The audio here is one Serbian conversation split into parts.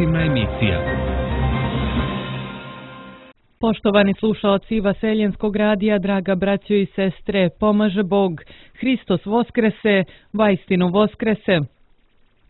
informativna emisija. Poštovani slušaoci Vaseljenskog radija, draga braćo i sestre, pomaže Bog, Hristos voskrese, vaistinu voskrese.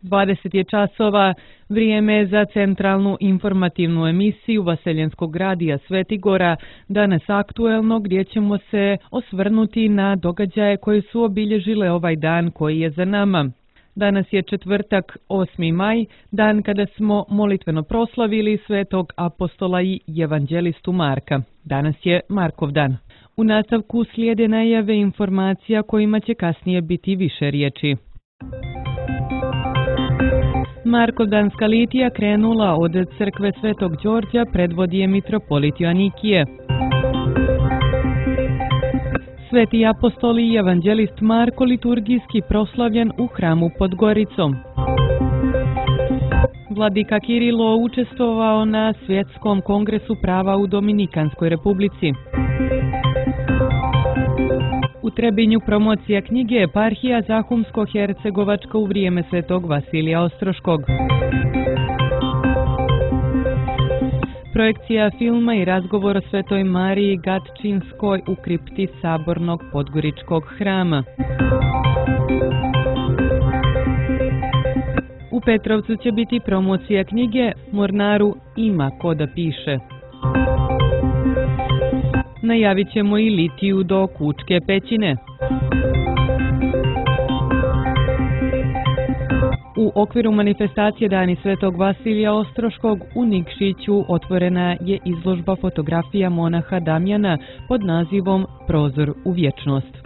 20 je časova, vrijeme za centralnu informativnu emisiju Vaseljenskog radija Svetigora, danas aktuelno, gdje ćemo se osvrnuti na događaje koje su obilježile ovaj dan koji je za nama. Danas je četvrtak, 8. maj, dan kada smo molitveno proslavili svetog apostola i evanđelistu Marka. Danas je Markov dan. U nastavku slijede najave informacija kojima će kasnije biti više riječi. Markovdanska litija krenula od crkve Svetog Đorđa, predvodi je mitropolit Joanikije. Sveti apostol i evanđelist Marko liturgijski proslavljen u hramu pod Goricom. Vladika Kirilo učestvovao na Svjetskom kongresu prava u Dominikanskoj republici. U Trebinju promocija knjige Eparhija Zahumsko-Hercegovačka u vrijeme svetog Vasilija Ostroškog. Projekcija filma i razgovor o Svetoj Mariji Gatčinskoj u kripti Sabornog Podgoričkog hrama. U Petrovcu će biti promocija knjige Mornaru ima ko da piše. Najavit ćemo i litiju do Kučke pećine. U okviru manifestacije Dani Svetog Vasilija Ostroškog u Nikšiću otvorena je izložba fotografija monaha Damjana pod nazivom Prozor u vječnost.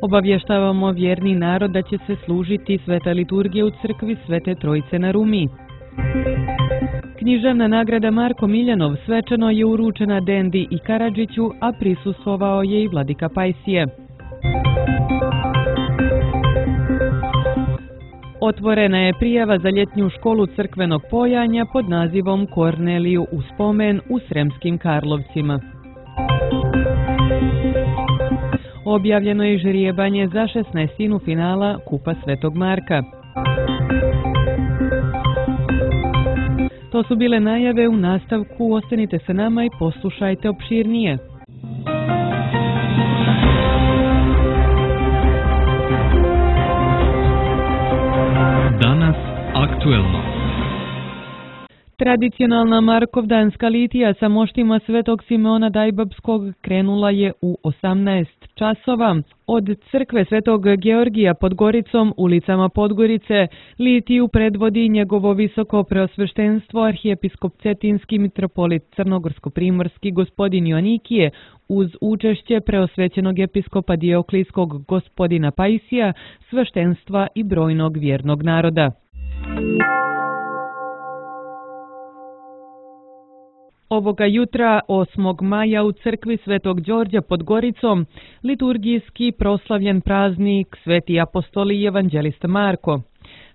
Obavještavamo vjerni narod da će se služiti sveta liturgija u crkvi Svete Trojice na Rumi. Književna nagrada Marko Miljanov svečano je uručena Dendi i Karadžiću, a prisustvovao je i vladika Pajsije. Otvorena je prijava za ljetnju školu crkvenog pojanja pod nazivom Korneliju u spomen u Sremskim Karlovcima. Objavljeno je žrijebanje za 16. finala Kupa Svetog Marka. To su bile najave, u nastavku ostanite sa nama i poslušajte opširnije. Danas aktuelno. Tradicionalna Markovdanska litija sa moštima Svetog Simeona Dajbabskog krenula je u 18 časova. Od crkve Svetog Georgija pod Goricom, ulicama Podgorice, litiju predvodi njegovo visoko preosveštenstvo arhijepiskop Cetinski mitropolit Crnogorsko-primorski gospodin Joanikije uz učešće preosvećenog episkopa Dioklijskog gospodina Pajsija, sveštenstva i brojnog vjernog naroda. Ovoga jutra, 8. maja, u crkvi Svetog Đorđa pod Goricom, liturgijski proslavljen praznik Sveti apostol i evanđelista Marko.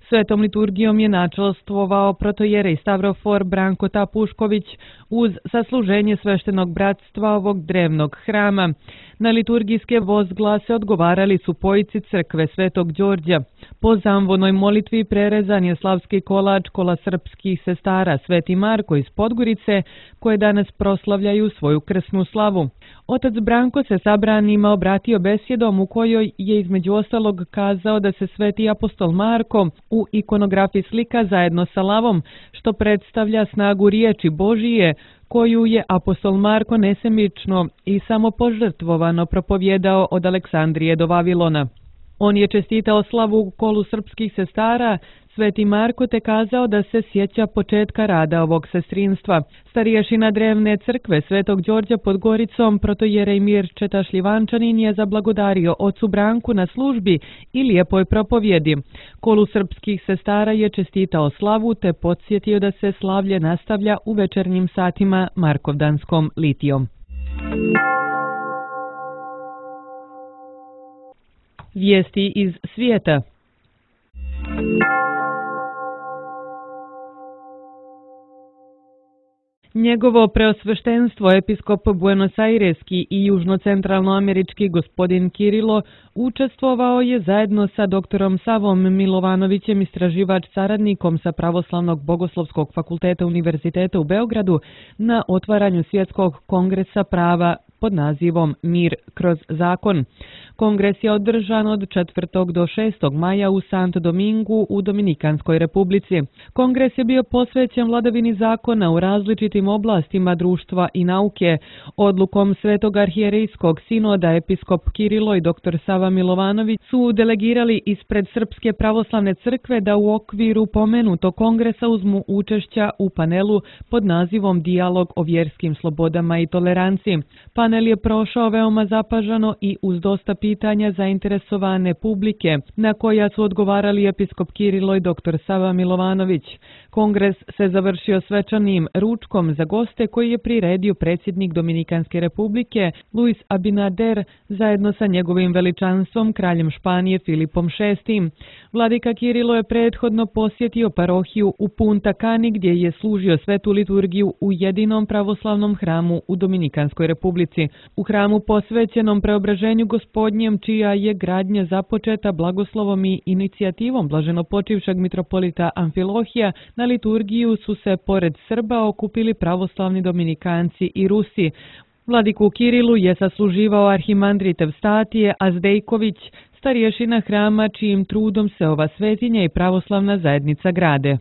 Svetom liturgijom je načelstvovao protojerej Stavrofor Branko Tapušković uz sasluženje sveštenog bratstva ovog drevnog hrama. Na liturgijske vozglase odgovarali su pojici crkve Svetog Đorđa. Po zamvonoj molitvi prerezan je slavski kolač kola srpskih sestara Sveti Marko iz Podgorice, koje danas proslavljaju svoju krsnu slavu. Otac Branko se sabranima obratio besjedom u kojoj je između ostalog kazao da se Sveti apostol Marko u ikonografiji slika zajedno sa lavom, što predstavlja snagu riječi Božije, koju je apostol Marko nesemično i samopožrtvovano propovjedao od Aleksandrije do Vavilona. On je čestitao slavu u kolu srpskih sestara, Sveti Marko te kazao da se sjeća početka rada ovog sestrinstva. Starješina drevne crkve Svetog Đorđa pod Goricom, protojerej Mirčeta Šljivančanin, je zablagodario ocu Branku na službi i lijepoj propovjedi. Kolu srpskih sestara je čestitao slavu te podsjetio da se slavlje nastavlja u večernjim satima Markovdanskom litijom. Vijesti iz svijeta. Njegovo preosveštenstvo episkop Buenos Aireski i južnocentralnoamerički gospodin Kirilo učestvovao je zajedno sa doktorom Savom Milovanovićem, istraživač saradnikom sa Pravoslavnog bogoslovskog fakulteta Univerziteta u Beogradu, na otvaranju Svjetskog kongresa prava pod nazivom Mir kroz zakon. Kongres je održan od 4. do 6. maja u Sant Domingu u Dominikanskoj republici. Kongres je bio posvećen vladavini zakona u različitim oblastima društva i nauke. Odlukom Svetog arhijerejskog sinoda episkop Kirilo i dr. Sava Milovanović su delegirali ispred Srpske pravoslavne crkve da u okviru pomenutog kongresa uzmu učešća u panelu pod nazivom Dijalog o vjerskim slobodama i toleranciji. Panel je prošao veoma zapažano i uz dosta pitanja zainteresovane publike, na koja su odgovarali episkop Kirilo i dr. Sava Milovanović. Kongres se završio svečanim ručkom za goste koji je priredio predsjednik Dominikanske republike Luis Abinader zajedno sa njegovim veličanstvom kraljem Španije Filipom VI. Vladika Kirilo je prethodno posjetio parohiju u Punta Cani gdje je služio svetu liturgiju u jedinom pravoslavnom hramu u Dominikanskoj republici. U hramu posvećenom preobraženju Gospodnjem, čija je gradnja započeta blagoslovom i inicijativom blaženopočivšeg mitropolita Amfilohija, na liturgiju su se pored Srba okupili pravoslavni Dominikanci i Rusi. Vladiku Kirilu je sasluživao arhimandrit Evstatije Azdejković, starješina hrama čijim trudom se ova svetinja i pravoslavna zajednica grade.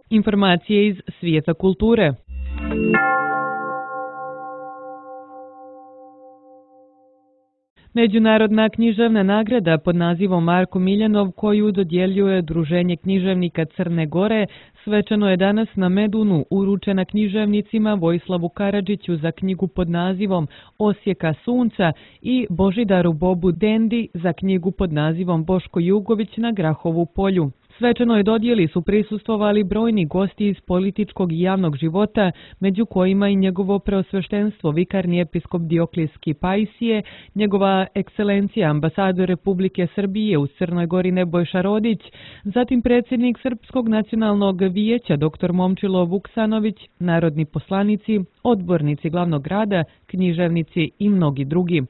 Informacije iz svijeta kulture. Međunarodna književna nagrada pod nazivom Marko Miljanov, koju dodjeljuje Udruženje književnika Crne Gore, svečano je danas na Medunu uručena književnicima Vojislavu Karadžiću za knjigu pod nazivom Osjeka sunca i Božidaru Bobu Dendi za knjigu pod nazivom Boško Jugović na Grahovu polju. Svečanoj dodjeli su prisustvovali brojni gosti iz političkog i javnog života, među kojima i njegovo preosveštenstvo vikarni episkop Dioklijski Pajsije, njegova ekscelencija ambasador Republike Srbije u Crnoj Gori Nebojša Rodić, zatim predsjednik Srpskog nacionalnog vijeća dr. Momčilo Vuksanović, narodni poslanici, odbornici glavnog grada, književnici i mnogi drugi.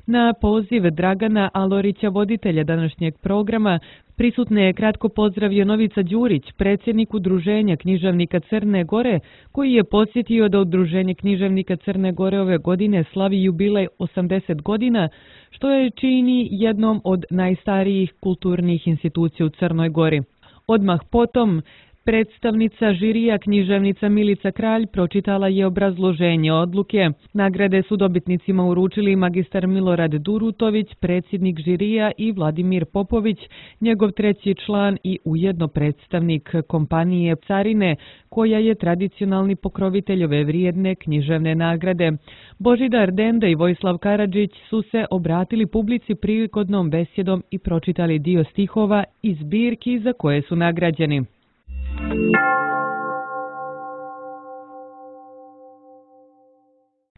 Na poziv Dragana Alorića, voditelja današnjeg programa, prisutne je kratko pozdravio Novica Đurić, predsjednik Udruženja književnika Crne Gore, koji je podsjetio da Udruženje književnika Crne Gore ove godine slavi jubilej 80 godina, što je čini jednom od najstarijih kulturnih institucija u Crnoj Gori. Odmah potom, predstavnica žirija književnica Milica Kralj pročitala je obrazloženje odluke. Nagrade su dobitnicima uručili magistar Milorad Durutović, predsjednik žirija, i Vladimir Popović, njegov treći član i ujedno predstavnik kompanije Carine, koja je tradicionalni pokrovitelj ove vrijedne književne nagrade. Božidar Denda i Vojislav Karadžić su se obratili publici prigodnom besjedom i pročitali dio stihova iz zbirki za koje su nagrađeni.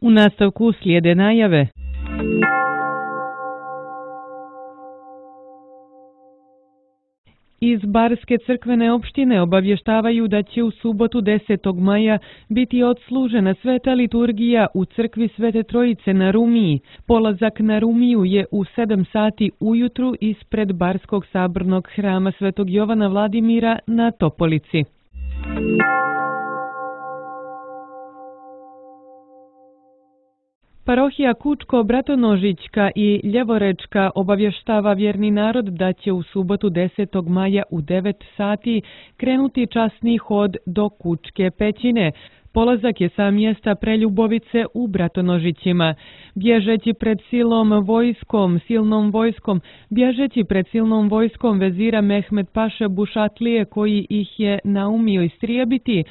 U nastavku slijede najave. Iz Barske crkvene opštine obavještavaju da će u subotu 10. maja biti odslužena sveta liturgija u crkvi Svete Trojice na Rumiji. Polazak na Rumiju je u 7 sati ujutru ispred Barskog sabornog hrama Svetog Jovana Vladimira na Topolici. Parohija Kučko-Bratonožićka i Ljevorečka obavještava vjerni narod da će u subotu 10. maja u 9 sati krenuti časni hod do Kučke pećine. Polazak je sa mjesta Preljubovice u Bratonožićima. Bježeći pred silnom vojskom vezira Mehmed Paše Bušatlije, koji ih je naumio istrijebiti,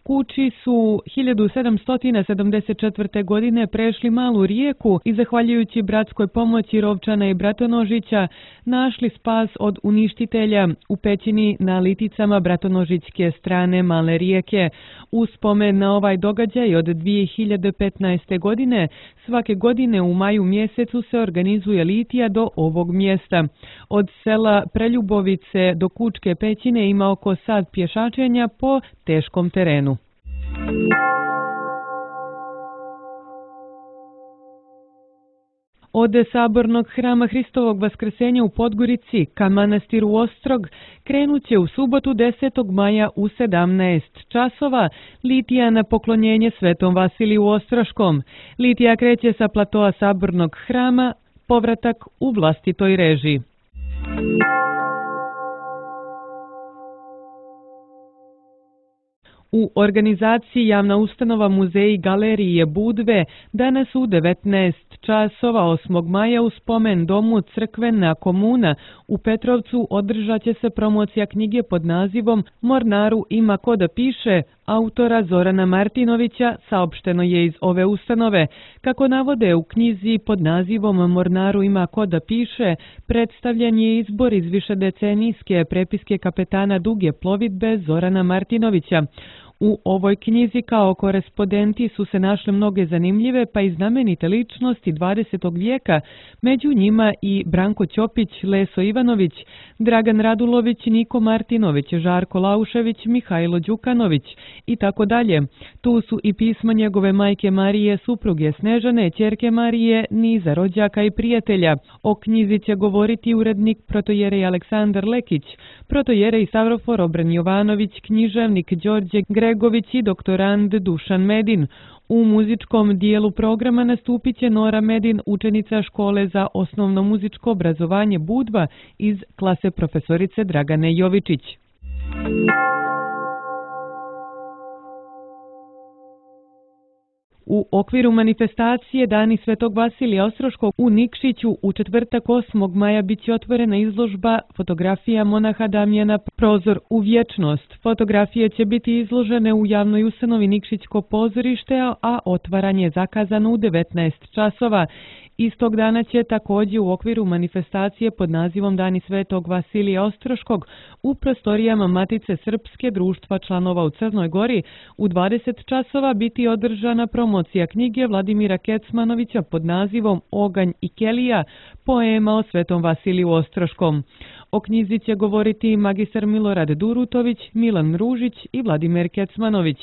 Kuči su 1774. godine prešli malu rijeku i zahvaljujući bratskoj pomoći Rovčana i Bratonožića našli spas od uništitelja u pećini na Liticama Bratonožićke strane male rijeke. U spomen na ovaj događaj od 2015. godine svake godine u maju mjesecu se organizuje litija do ovog mjesta. Od sela Preljubovice do Kučke pećine ima oko sat pješačenja po teškom terenu. Od Sabornog hrama Hristovog Vaskrsenja u Podgorici ka manastiru Ostrog krenut će u subotu 10. maja u 17 časova litija na poklonjenje Svetom Vasiliju Ostroškom. Litija kreće sa platoa Sabornog hrama, povratak u vlastitoj režiji. U organizaciji javna ustanova Muzeji galerije Budve danas u 19 časova 8. maja u spomen domu Crkvena komuna u Petrovcu održat će se promocija knjige pod nazivom Mornaru ima ko da piše autora Zorana Martinovića, saopšteno je iz ove ustanove. Kako navode u knjizi pod nazivom Mornaru ima ko da piše, predstavljen je izbor iz višedecenijske prepiske kapetana duge plovidbe Zorana Martinovića. U ovoj knjizi kao korespondenti su se našle mnoge zanimljive pa i znamenite ličnosti 20. vijeka, među njima i Branko Ćopić, Leso Ivanović, Dragan Radulović, Niko Martinović, Žarko Laušević, Mihajlo Đukanović i tako dalje. Tu su i pisma njegove majke Marije, supruge Snežane, ćerke Marije, niza rođaka i prijatelja. O knjizi će govoriti urednik protojerej Aleksandar Lekić, protojerej Savrofor Obren Jovanović, književnik Đorđe Gregović i doktorand Dušan Medin. U muzičkom dijelu programa nastupit će Nora Medin, učenica škole za osnovno muzičko obrazovanje Budva iz klase profesorice Dragane Jovičić. U okviru manifestacije Dani Svetog Vasilija Ostroškog u Nikšiću u četvrtak 8. maja bit će otvorena izložba fotografija monaha Damjana Prozor u vječnost. Fotografije će biti izložene u javnoj ustanovi Nikšićko pozorište, a otvaranje je zakazano u 19 časova. Istog dana će također u okviru manifestacije pod nazivom Dani Svetog Vasilija Ostroškog u prostorijama Matice Srpske društva članova u Crnoj Gori u 20 časova biti održana promocija knjige Vladimira Kecmanovića pod nazivom Oganj i Kelija, poema o Svetom Vasiliju Ostroškom. O knjizi će govoriti magistar Milorad Durutović, Milan Ružić i Vladimir Kecmanović.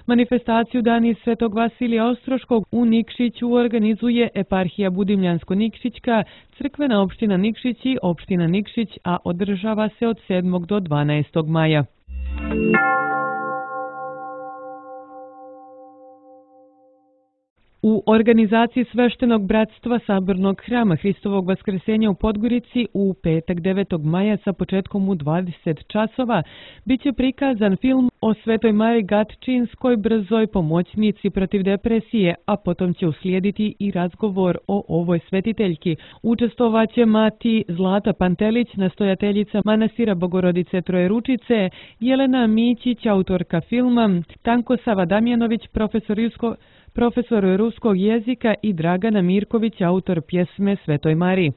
Manifestaciju Dani Svetog Vasilija Ostroškog u Nikšiću organizuje Eparhija Budimljansko-Nikšićka, Crkvena opština Nikšić i opština Nikšić, a održava se od 7. do 12. maja. U organizaciji Sveštenog bratstva Sabornog hrama Hristovog Vaskrsenja u Podgorici u petak 9. maja sa početkom u 20 časova bit će prikazan film o Svetoj Mari Gatčinskoj, brzoj pomoćnici protiv depresije, a potom će uslijediti i razgovor o ovoj svetiteljki. Učestvovaće mati Zlata Pantelić, nastojateljica manastira Bogorodice Trojeručice, Jelena Mićić, autorka filma, Tanko Sava Damjanović, profesor ruskog jezika i Dragana Mirković, autor pjesme Svetoj Mari.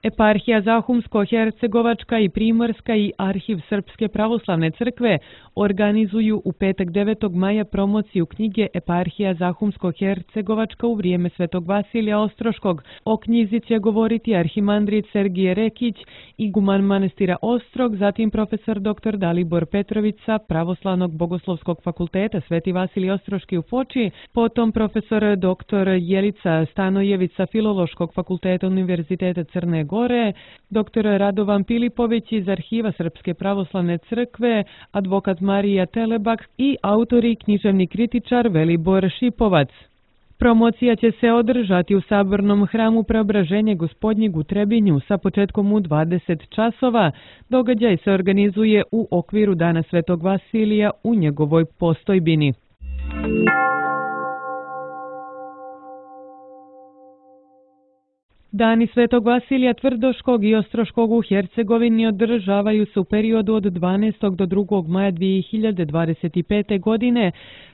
Eparhija Zahumsko-Hercegovačka i Primorska i Arhiv Srpske pravoslavne crkve organizuju u petak 9. maja promociju knjige Eparhija Zahumsko-Hercegovačka u vrijeme Svetog Vasilija Ostroškog. O knjizi će govoriti arhimandrit Sergije Rekić, iguman manastira Ostrog, zatim profesor dr. Dalibor Petrović sa Pravoslavnog bogoslovskog fakulteta Sveti Vasilij Ostroški u Foči, potom profesor dr. Jelica Stanojević sa Filološkog fakulteta Univerziteta Crne Gore, dr. Radovan Pilipović iz Arhiva Srpske pravoslavne crkve, advokat Marija Telebak i autor i književni kritičar Velibor Šipovac. Promocija će se održati u Sabornom hramu Preobraženja Gospodnjeg u Trebinju sa početkom u 20 časova. Događaj se organizuje u okviru Dana Svetog Vasilija u njegovoj postojbini. Dani Svetog Vasilija Tvrdoškog i Ostroškog u Hercegovini održavaju se u periodu od 12. do 2. maja 2025. godine.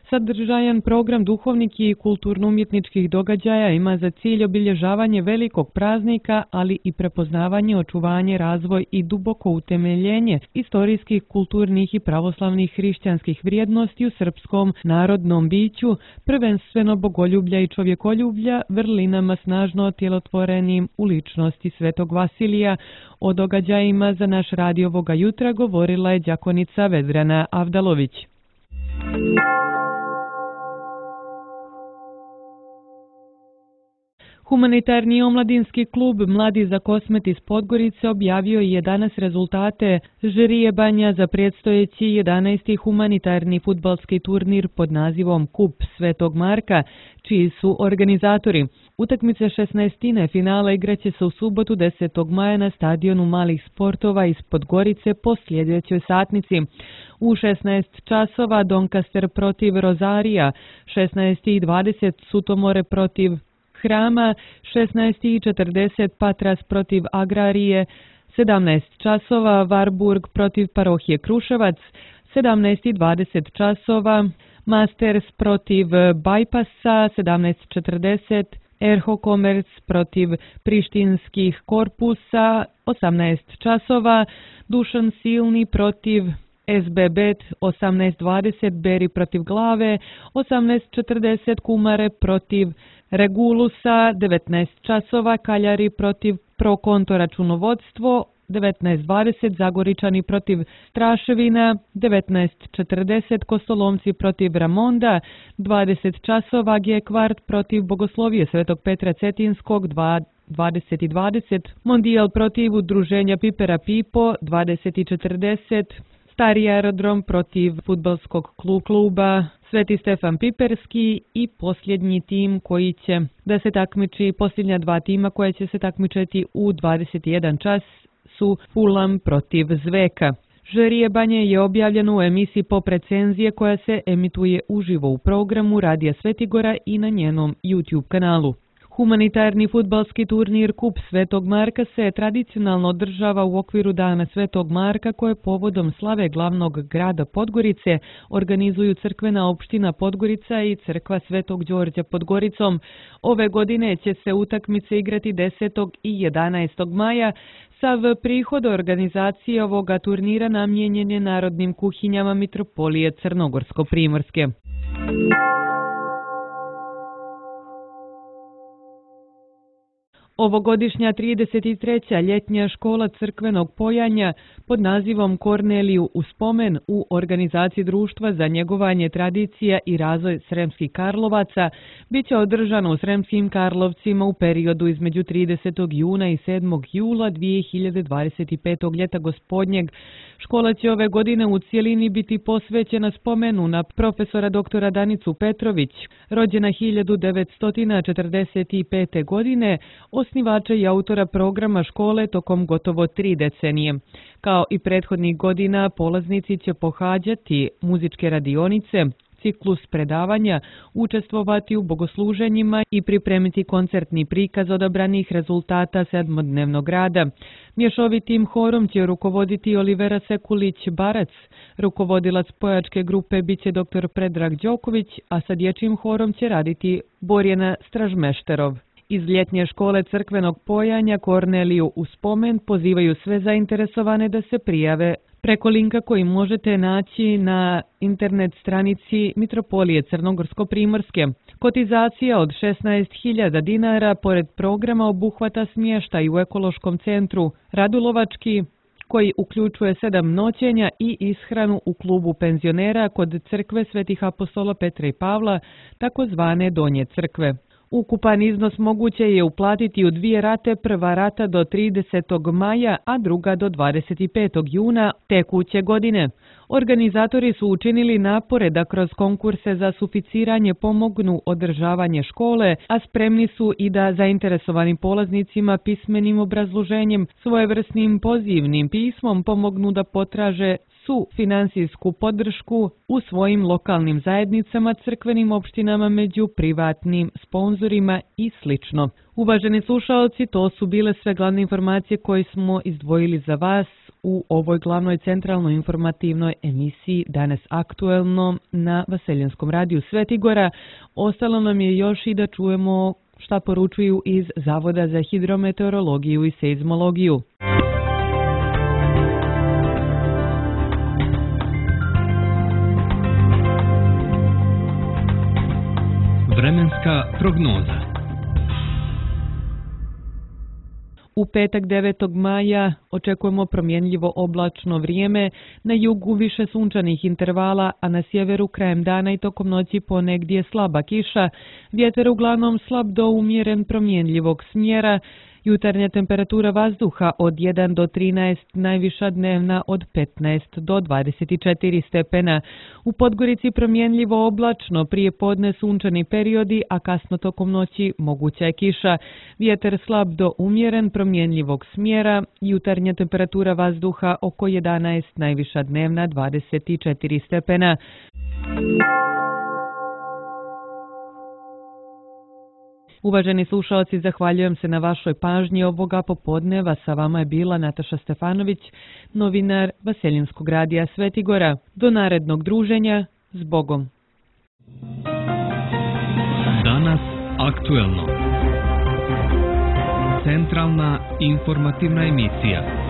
Sadržajan program duhovnih i kulturno-umjetničkih događaja ima za cilj obilježavanje velikog praznika, ali i prepoznavanje, očuvanje, razvoj i duboko utemeljenje istorijskih, kulturnih i pravoslavnih hrišćanskih vrijednosti u srpskom narodnom biću, prvenstveno bogoljublja i čovjekoljublja, vrlinama snažno otjelotvorenim u ličnosti Svetog Vasilija. O događajima za naš radio ovoga jutra govorila je đakonica Vedrana Avdalović. Humanitarni omladinski klub Mladi za Kosmet iz Podgorice objavio je danas rezultate žirije Banja za predstojeći 11. humanitarni fudbalski turnir pod nazivom Kup Svetog Marka, čiji su organizatori. Utakmice 16. finala igraće se u subotu 10. maja na stadionu malih sportova iz Podgorice po sljedećoj satnici. U 16 časova Doncaster protiv Rozarija, 16:20 Sutomore protiv Hrama, 16:40 Patras protiv Agrarije, 17 časova Varburg protiv Parohije Kruševac, 17:20 časova Masters protiv Bajpasa, 17:40 Erho Commerce protiv Prištinskih korpusa, 18 časova Dušan Silni protiv SB Bet, 18:20 Beri protiv Glave, 18:40 Kumare protiv Regulusa, 19 časova Kaljari protiv Prokonto računovodstvo, 19:20 Zagoričani protiv Straševina, 19:40 Kostolomci protiv Ramonda, 20 časova G Kvart protiv Bogoslovije Svetog Petra Cetinskog, 20:20 Mondijal protiv Udruženja Pipera Pipo, 20:40 Stari aerodrom protiv fudbalskog kluba Sveti Stefan Piperski i posljednji tim koji će da se takmiči, posljednja dva tima koja će se takmičiti u 21 čas su Fulham protiv Zveka. Žirije Banje je objavljeno u emisiji Pop recenzije koja se emituje uživo u programu Radija Svetigora i na njenom YouTube kanalu. Humanitarni fudbalski turnir Kup Svetog Marka se tradicionalno održava u okviru Dana Svetog Marka koje povodom slave glavnog grada Podgorice organizuju crkvena opština Podgorica i crkva Svetog Đorđa pod Goricom. Ove godine će se utakmice igrati 10. i 11. maja. Sav prihod organizacije ovoga turnira namijenjen je narodnim kuhinjama Mitropolije Crnogorsko-Primorske. Ovogodišnja 33. ljetnja škola crkvenog pojanja pod nazivom Korneliju u spomen u organizaciji Društva za njegovanje tradicija i razvoj Sremskih Karlovaca biće održana u Sremskim Karlovcima u periodu između 30. juna i 7. jula 2025. ljeta gospodnjeg. Škola će ove godine u cijelini biti posvećena spomenu na profesora doktora Danicu Petrović, rođena 1945. godine, osnivača i autora programa škole tokom gotovo 3 decenije. Kao i prethodnih godina, polaznici će pohađati muzičke radionice, ciklus predavanja, učestvovati u bogosluženjima i pripremiti koncertni prikaz odabranih rezultata sedmodnevnog rada. Mješovitim horom će rukovoditi Olivera Sekulić-Barac, rukovodilac pojačke grupe biće dr. Predrag Đoković, a sa dječjim horom će raditi Borjana Stražmešterov. Iz ljetnje škole crkvenog pojanja Korneliju u spomen pozivaju sve zainteresovane da se prijave preko linka koji možete naći na internet stranici Mitropolije Crnogorsko-Primorske. Kotizacija od 16.000 dinara pored programa obuhvata smještaj u ekološkom centru Radulovački, koji uključuje 7 noćenja i ishranu u klubu penzionera kod crkve Svetih apostola Petra i Pavla, takozvane Donje crkve. Ukupan iznos moguće je uplatiti u 2 rate, prva rata do 30. maja, a druga do 25. juna tekuće godine. Organizatori su učinili napore da kroz konkurse za suficiranje pomognu održavanje škole, a spremni su i da zainteresovanim polaznicima pismenim obrazloženjem, svojevrsnim pozivnim pismom pomognu da potraže finansijsku podršku u svojim lokalnim zajednicama, crkvenim opštinama, među privatnim sponzorima i sl. Uvaženi slušaoci, to su bile sve glavne informacije koje smo izdvojili za vas u ovoj glavnoj centralnoj informativnoj emisiji Danas aktuelno na Vaseljanskom radiju Svetigora. Ostalo nam je još i da čujemo šta poručuju iz Zavoda za hidrometeorologiju i seizmologiju. Vremenska prognoza. U petak 9. maja očekujemo promjenljivo oblačno vrijeme, na jugu više sunčanih intervala, a na sjeveru krajem dana i tokom noći ponegdje slaba kiša, vjetar uglavnom slab do umjeren promjenljivog smjera, jutarnja temperatura vazduha od 1 do 13, najviša dnevna od 15 do 24 stepena. U Podgorici promjenljivo oblačno, prije podne sunčani periodi, a kasno tokom noći moguća je kiša. Vjetar slab do umjeren promjenljivog smjera, jutarnja temperatura vazduha oko 11, najviša dnevna 24 stepena. Uvaženi slušalci, zahvaljujem se na vašoj pažnji ovoga popodneva. Sa vama je bila Nataša Stefanović, novinar Vaseljanskog radija Svetigora. Do narednog druženja, s Bogom. Danas aktuelno. Centralna informativna emisija.